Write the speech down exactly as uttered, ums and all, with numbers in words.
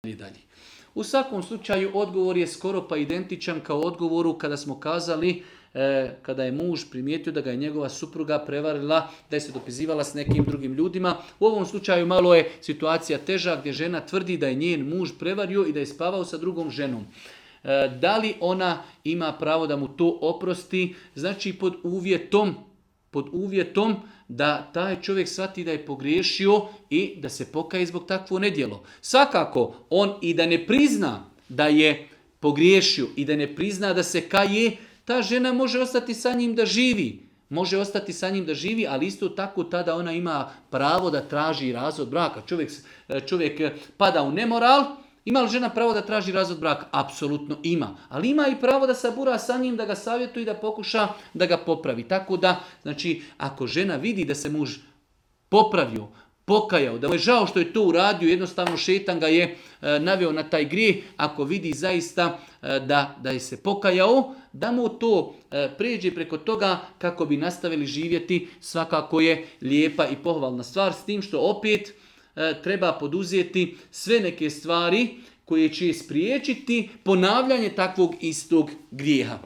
naprijed dalje. U svakom slučaju odgovor je skoro pa identičan kao odgovoru kada smo kazali e, kada je muž primijetio da ga je njegova supruga prevarila, da je se dopizivala s nekim drugim ljudima. U ovom slučaju malo je situacija teža gdje žena tvrdi da je njen muž prevario i da je spavao sa drugom ženom. E, da li ona ima pravo da mu to oprosti? Znači pod uvjetom, pod uvjetom da taj čovjek shvati da je pogriješio i da se pokaje zbog takvo nedjelo. Svakako, on i da ne prizna da je pogriješio i da ne prizna da se kaje, ta žena može ostati sa njim da živi. Može ostati sa njim da živi, ali isto tako tada ona ima pravo da traži razvod braka. Čovjek, čovjek pada u nemoral. Ima li žena pravo da traži razvod braka? Apsolutno ima. Ali ima i pravo da sabura sa njim, da ga savjetuje i da pokuša da ga popravi. Tako da, znači, ako žena vidi da se muž popravio, pokajao, da mu je žao što je to uradio, jednostavno šetan ga je e, naveo na taj grijeh, ako vidi zaista e, da, da je se pokajao, da mu to e, pređe preko toga kako bi nastavili živjeti, svakako je lijepa i pohvalna stvar, s tim što opet treba poduzeti sve neke stvari koje će spriječiti ponavljanje takvog istog grijeha.